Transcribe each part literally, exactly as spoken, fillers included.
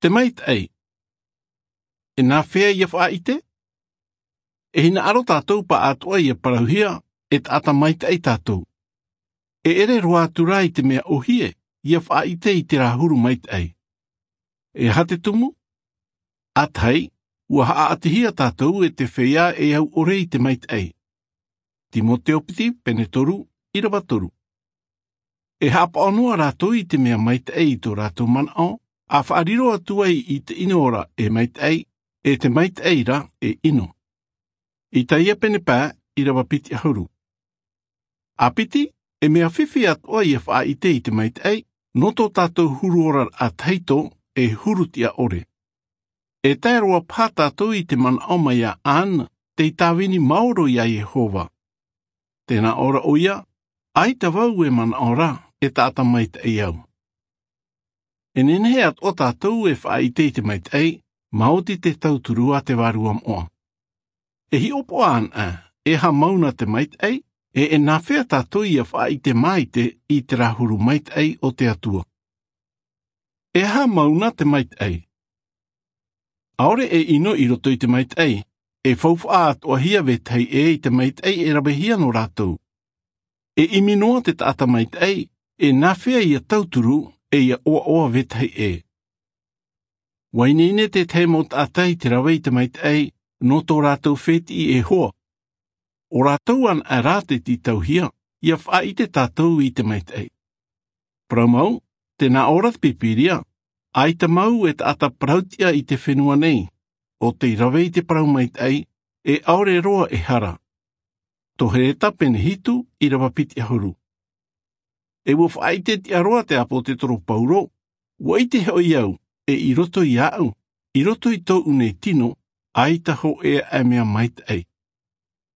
Te maitaʻi. E nāfea ia faʻaʻite? E hinaʻaro tātou paʻatoʻa ia parauhia e taʻata maitaʻi tātou. E ʻere roa atu rā i te mea ʻohie ia faʻaʻite i te rā huru maitaʻi. E aha te tumu? ʻĀtahi, ua haʻaʻatihia tātou e te feiā e au ʻore i te maitaʻi. Timoteo piti pene toru, ʻirava toru. E haʻapaʻo noa rātou i te mea maitaʻi i tō rātou manaʻo, a faʻariro atu ai i te ʻino ra e maitaʻi, e te maitaʻi ra e ʻino. Isaia pene pae, ʻirava piti ʻahuru. A piti, e mea fifi atoʻa ia faʻaʻite i te maitaʻi, nō tō tātou huru ora ʻātahi tō, e huru tiʻa ʻore. E tae roa paha tātou i te manaʻo mai iā Anne, tei tāvini maoro iā Iehova. Tē nā ʻō ra ʻoia, ʻaita vau e manaʻo ra, e taʻata maitaʻi au. E nehenehe atoʻa tātou e faʻaʻite i te maitaʻi, maoti te tauturu a te Vārua Moʻa. E hiʻopoʻa anaʻe, e aha mau na te maitaʻi, e, e nāfea tātou ia faʻaʻite maite i te rā huru maitaʻi o te Atua. E aha mau na te maitaʻi? ʻAore e ʻino i roto i te maitaʻi, e faufaʻa atoʻahia vetahi ʻē i te maitaʻi e ravehia nō rātou. E ʻimi noa te taʻata maitaʻi, e nāfea ia tauturu, e ia ʻoaʻoa vetahi ʻē. Ua ineine tētahi mau taʻata i te rave i te maitaʻi, nō tō rātou fētiʻi e hoa. ʻO rātou anaʻe rā tei tītauhia, ia faʻaʻite tātou i te maitaʻi. Parau mau, tē nā ʻō ra te Pīpīria, ʻaita mau e taʻata parau tiʻa i te fenua nei, ʻo tei rave i te parau maitaʻi, e ʻaore roa e hara. Tō Hereta pene hitu, ʻirava piti ʻahuru. E ua faʻaʻite tiʻa roa te ʻāpōsetolo Paulo, ua ʻite hoʻi au, e i roto iāʻu, i roto i tōʻu nei tino, ʻaita hōʻē aʻe mea maitaʻi.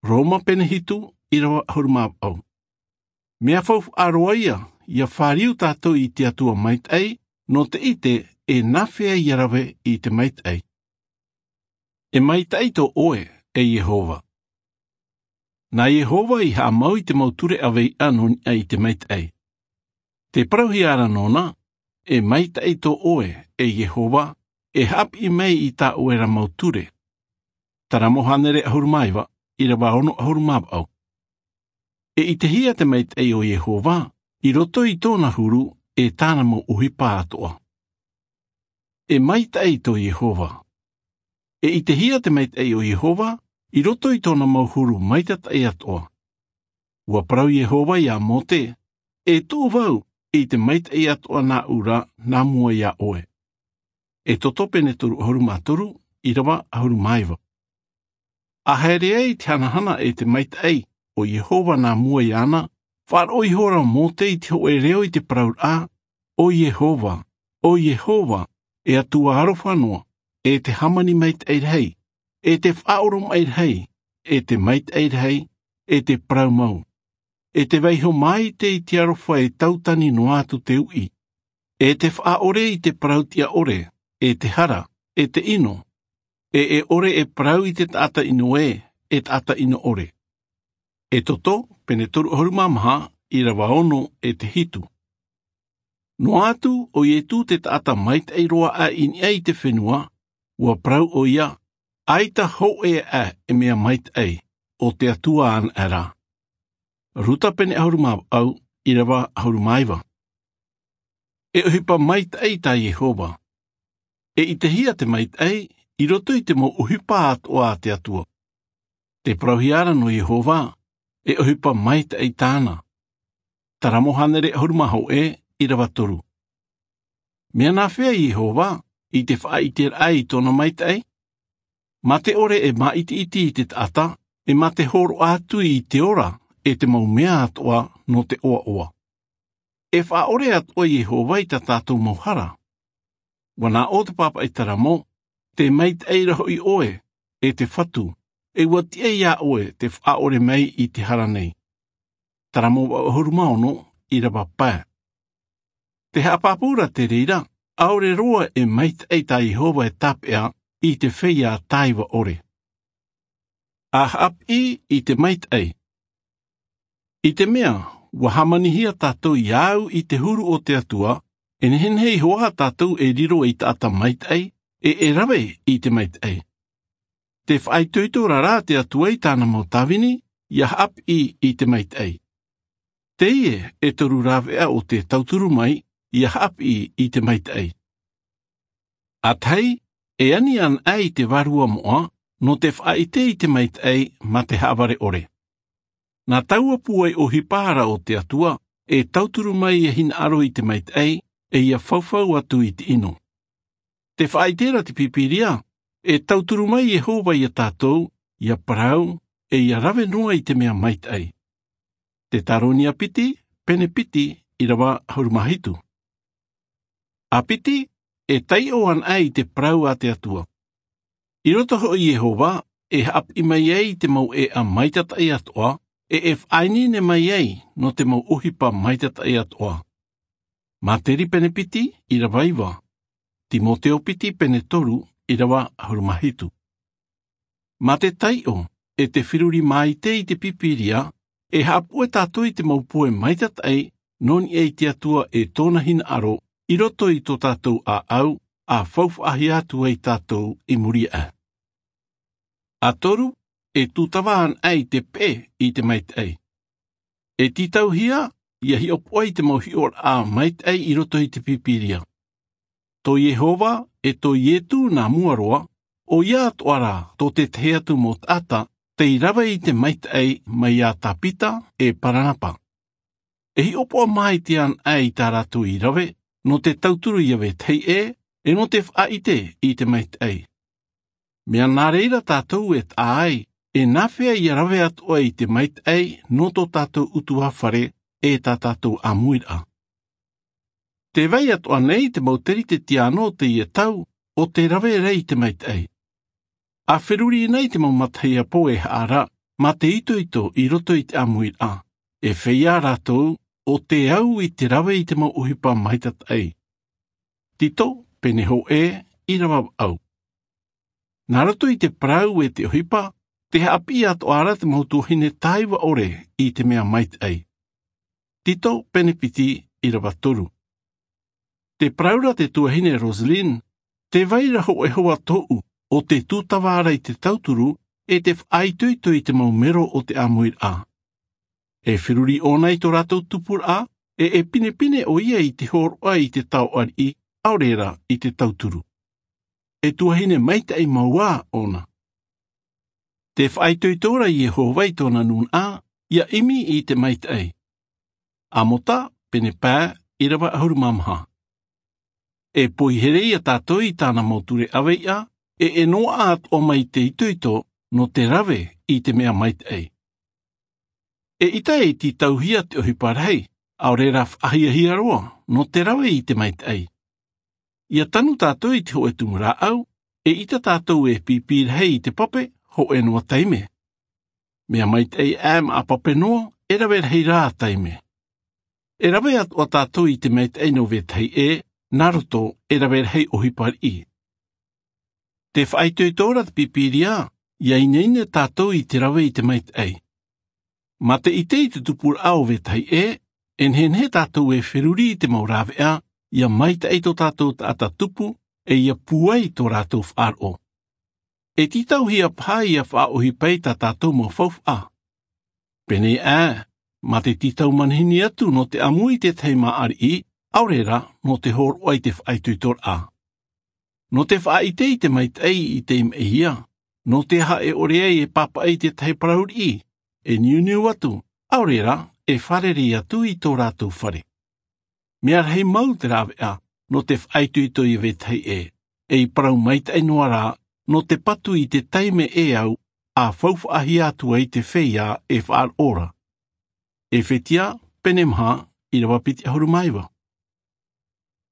Roma pene hitu, ʻirava ʻahuru mā vaʻu. Mea faufaʻa roa ia, ia fāriu tātou i te Atua maitaʻi, nō te ʻite, e nāfea ia rave i te maitaʻi. E maitaʻi tō ʻoe, e Iehova. Nā Iehova i haʻamau i te mau ture ʻaveiʻa nō niʻa i te maitaʻi. Tē parauhia ra nōna, e maitaʻi tō ʻoe, e Iehova, e haʻapiʻi mai i tā ʻoe ra mau ture. Taramo hānere ʻahuru mā iva, ʻirava ono ʻahuru mā vaʻu. E ʻitehia te maitaʻi o Iehova, i roto i tōna huru, e tāna mau ʻohipa atoʻa. E maitaʻi tō Iehova. E ʻitehia te maitaʻi o Iehova, i roto i tōna mau huru maitataʻi atoʻa. Ua parau Iehova iā Mōte, e tuʻu vau, i te maitaʻi atoʻa nāʻu ra, nā mua iā ʻoe. Exodo pene toru ʻahuru mā toru, ʻirava ʻahuru mā iva. A haere ai te hanahana e te maitaʻi, o Iehova nā mua iāna, faʻaroʻo ihora Mōte i te hōʻē reo i te parauraʻa, o Iehova, o Iehova, e Atua aroha noa, e te hāmani maitaʻi rahi, e te faʻaoromaʻi rahi, e te maitaʻi rahi, e te parau mau. E te vaiiho maite i te aroha e tautani noa atu te uʻi. E te faʻaʻore i te parau tiʻa ʻore, e te hara, e te ʻino. E, e ʻore e parau i te taʻata ʻino ē, e taʻata ʻino ʻore. Exodo, pene toru ʻahuru mā maha, ʻirava ono e te hitu. Noa atu, o Ietu te taʻata maitaʻi roa aʻe i niʻa i te fenua, ua parau ʻoia, ʻaita hōʻē aʻe e mea maitaʻi, ʻo te Atua anaʻe ra. Ruta pene ʻahuru mā vaʻu, ʻirava ʻahuru mā iva. E ʻohipa maitaʻi tā Iehova. E ʻitehia te maitaʻi, i roto i te mau ʻohipa atoʻa a te Atua. Tē parauhia ra nō Iehova, e ʻohipa maitaʻi tāna. Taramo hānere ʻahuru mā hōʻē, ʻirava toru. Mea nāfea Iehova, i te faʻaʻiteraʻa i tōna maitaʻi? Mā te ʻore e māʻitiʻiti i te taʻata, e mā te hōroʻa atu i te ora, e te mau mea atoʻa nō te ʻoaʻoa. E faʻaʻore atoʻa Iehova i tā tātou mau hara. Ua nā ʻō te pāpaʻi Taramo, tē maitaʻi ra hoʻi ʻoe, e te Fatu, e ua tiʻa iā ʻoe te faʻaʻore mai i te hara nei. Taramo vaʻu ʻahuru mā ono, ʻirava pae. Tē haʻapāpū ra te reira, ʻaore roa e maitaʻi tā Iehova e tāpeʻa i te feiā tāiva ʻore. A haʻapiʻi i te maitaʻi. I te mea, ua hāmanihia tātou iā au i te huru o te Atua, E nehenehe iho ā tātou e riro ei taʻata maitaʻi, e e rave i te maitaʻi. Te faʻaitoito ra rā te Atua i tāna mau tāvini ia haʻapiʻi i te maitaʻi. Teie e toru rāveʻa o te tauturu mai ia haʻapiʻi i te maitaʻi. A tahi, e ani ana i te vārua moʻa nō te faʻaʻite i te maitaʻi mā te haʻavare ʻore. Nā taua pūai ʻohipa ra o te Atua e tauturu mai e hinaʻaro i te maitaʻi, e ia faufau atu i te ʻino. Te faʻaʻite ra te pīpīria, e tauturu mai iehova ia tātou ia parau, e ia rave noa i te mea maitaʻi. Te tāronia piti, pene piti, ʻirava ʻahuru mā hitu. A piti, e taiʻo ana i te parau a te Atua. I roto hoʻi iehova e haʻapiʻi mai ai i te mau ʻēʻa maitataʻi atoʻa, e e faʻaineine mai ai nō te mau ʻohipa maitataʻi atoʻa. Māteri pene piti, ʻirava iva. Timoteo piti, pene toru, ʻirava ʻahuru mā hitu. Mā te taiʻo, e te feruri māite i te pīpīria, e haʻapuʻe tātou i te mau poe maitataʻi nō niʻa i te Atua e tōna hinaʻaro i roto i tō tātou ʻāʻau a faufaʻahia atu ai tātou i muri aʻe. A toru, e tūtava ana i te peʻe i te maitaʻi. E tītauhia ia hiʻopoʻa i te mau hiʻoraʻa maitaʻi i roto i te pīpīria. Tō iehova e tō iesu nā mua roa, ʻo ia atoʻa rā tō te tahi atu mau taʻata tei rave i te maitaʻi mai iā tāpita e paranapa. E hiʻopoʻa māite ana i tā rātou i rave nō te tauturu ia vetahi ʻē, e nō te faʻaʻite i te maitaʻi. Mea nā reira tātou e taʻa ai e nāfea ia rave atu ai i te maitaʻi nō tō tātou ʻutuāfare e tā tātou ʻāmuiraʻa. Te vai atoʻa nei te mau teretetiano o teie tau o te rave ra i te maitaʻi. A feruri nei te mau matahiapo e haʻara mā te itoito i roto i te ʻāmuiraʻa, e feiā rātou o te au i te rave i te mau ʻohipa maitataʻi. Tito, pene hōʻē, ʻirava vaʻu. Nā roto i te parau e te ʻohipa, te haʻapiʻi atoʻa ra te mau tuahine tāiva ʻore i te mea maitaʻi. Tito, pene piti, ʻirava toru. Te parau ra te tuahine Rosalyn, te vai ra hōʻē hoa tōʻu o te tūtava ra i te tauturu e te faʻaitoito i te mau mero o te ʻāmuiraʻa. E feruri ʻōna i tō rātou tupuraʻa, e e pinepine ʻoia i te hōroʻa i te tao ariʻi, ʻaore ra i te tauturu. E tuahine maitaʻi mau ā ʻōna. Te faʻaitoito ra iehova i tōna nūnaʻa ia ʻimi i te maitaʻi. Amota, pene pae, ʻirava ʻahuru mā maha. E poihere ia tātou i tāna mau ture ʻaveiʻa, e e noaʻa atoʻa mai te itoito nō te rave i te mea maitaʻi. E ʻita e tītauhia te ʻohipa rahi, ʻaore ra faʻahiahia roa nō te rave i te maitaʻi. Ia tanu tātou i te hōʻē tumu rāʻau, e ʻita tātou e pīpī rahi i te pape hōʻē noa taime. Mea maitaʻi aʻe maʻa pape noa, e rave rahi rā taime. E rave atoʻa tātou i te maitaʻi nō vetahi ʻē, nā roto e rave rahi ʻohipa riʻi. Te faʻaitoito ra te pīpīria ia ineine tātou i te rave i te maitaʻi. Mā te ʻite i te tupuraʻa o vetahi ʻē, e nehenehe tātou e feruri i te mau rāveʻa ia maitaʻi tō tātou taʻata tupu, e ia pūai tō rātou faʻaroʻo. E tītauhia paha ia faʻaʻohipa i tā tātou mau faufaʻa. Pēnei aʻe, mā te tītau manihini atu nō te ʻamu i te tahi māʻa riʻi, ʻaore ra nō te hōroʻa i te faʻaitoitoraʻa. Nō te faʻaʻite i te maitaʻi i te imeʻihia, nō te aha e ʻore ai e pāpaʻi i te tahi parau riʻi, e niuniu atu, ʻaore ra e fārerei atu i tō rātou fare. Mea rahi mau te rāveʻa nō te faʻaitoito ia vetahi ʻē, e i parau maitaʻi noa rā nō te patu i te taime e au a faufaʻahia atu ai te feiā e faʻaroʻo ra. Efetia, pene maha, ʻirava piti ʻahuru mā iva.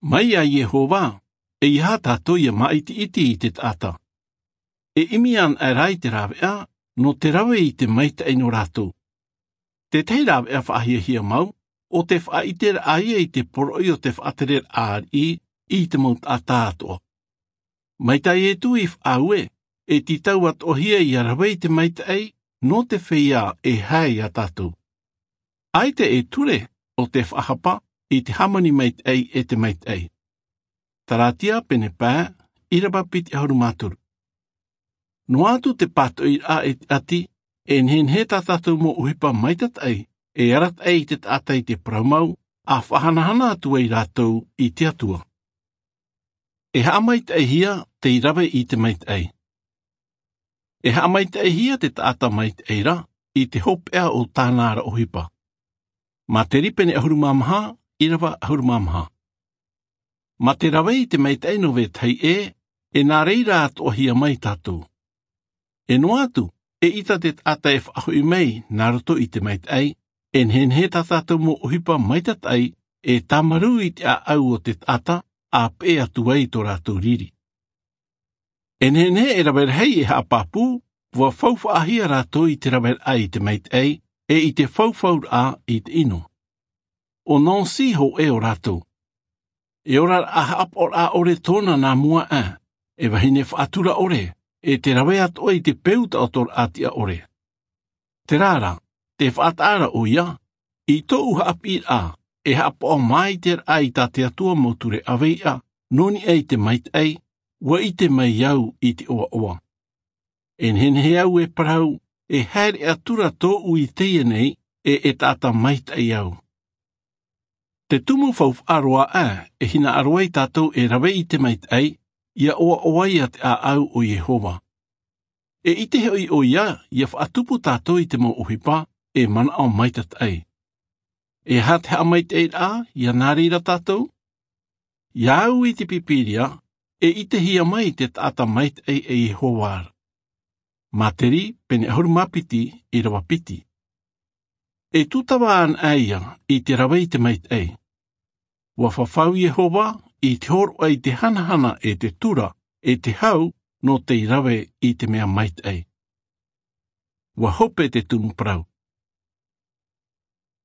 Mai iā iehova, ʻeiaha tātou ia māʻitiʻiti i te taʻata. E ʻimi ana aʻe rā i te rāveʻa nō te rave i te maitaʻi nō rātou. Te tahi rāveʻa faʻahiahia mau, ʻo te faʻaʻiteraʻa ia i te poroʻi o te faʻatereraʻa ariʻi i te mau taʻata atoʻa. Mai tā iesu i faʻaue, e tītau atoʻahia ia rave i te maitaʻi nō te feiā e hae iā tātou. ʻAita e ture ʻo te faʻahapa, i te hāmani maitaʻi e te maitaʻi. Taratia pene pae, ʻīrava piti ʻahuru mā toru. Noa atu te pātoʻiraʻa e te ʻati, e nehenehe tā tātou mau ʻohipa maitataʻi e arataʻi i te taʻata i te parau mau, a faʻahanahana atu ai rātou i te Atua. E haʻamaitaʻihia tei rave i te maitaʻi. E haʻamaitaʻihia te taʻata maitaʻi ra i te hopeʻa o tāna ra ʻohipa. Materi pene ʻahuru mā maha, ʻīrava ʻahuru mā maha. Mā te rave i te maitaʻi nō vetahi ʻē, e nā reira atoʻahia mai tātou. E noa atu, eʻita te taʻata e faʻahoʻi mai nā roto i te maitaʻi, e nehenehe tā tātou mau ʻohipa maitataʻi e tāmarū i te ʻāʻau o te taʻata, a peʻe atu ai tō rātou riri. E nehenehe e rave rahi e haʻapāpū, ʻua faufaʻahia rātou i te raveraʻa i te maitaʻi, e i te faufauraʻa i te ʻino. ʻO Nancy hōʻē o rātou. E oraraʻa haʻapaʻoraʻa ʻore tōna nā mua aʻe, e vahine faʻatura ʻore, e te rave atoʻa i te peu taʻotoraʻa tiʻa ʻore. Terā rā, tē faʻataʻa ra ʻoia, i tōʻu haʻapiʻiraʻa, e haʻapaʻo māiteraʻa i tā te Atua mau ture ʻāveiʻa, nō niʻa i te maitaʻi, ʻua ʻite mai au i te ʻoaʻoa. E nehenehe au e parau, e haere atura tōʻu i teie nei, e e taʻata maitaʻi au. Te tumu faufaʻa roa aʻe, e hinaʻaro ai tātou e rave i te maitaʻi, ʻia ʻoaʻoa ai te ʻāʻau o Iehova. E ʻite hoʻi ʻoia, ʻia faʻatupu tātou i te mau ʻohipa, e manaʻo maitataʻi. E aha te haʻamaitaʻiraʻa, ʻia nā reira tātou? ʻIa au i te Pīpīria, e ʻitehia mai te taʻata maitaʻi e Iehova ra. Materi, pene ʻahuru mā piti, ʻīrava piti. E tūtava ana ia i te rave i te maitaʻi. ʻUa fafau Iehova i te hōroʻa i te hanahana e te tura, e te hau, nō tei rave i te mea maitaʻi. ʻUa hope te tumu parau.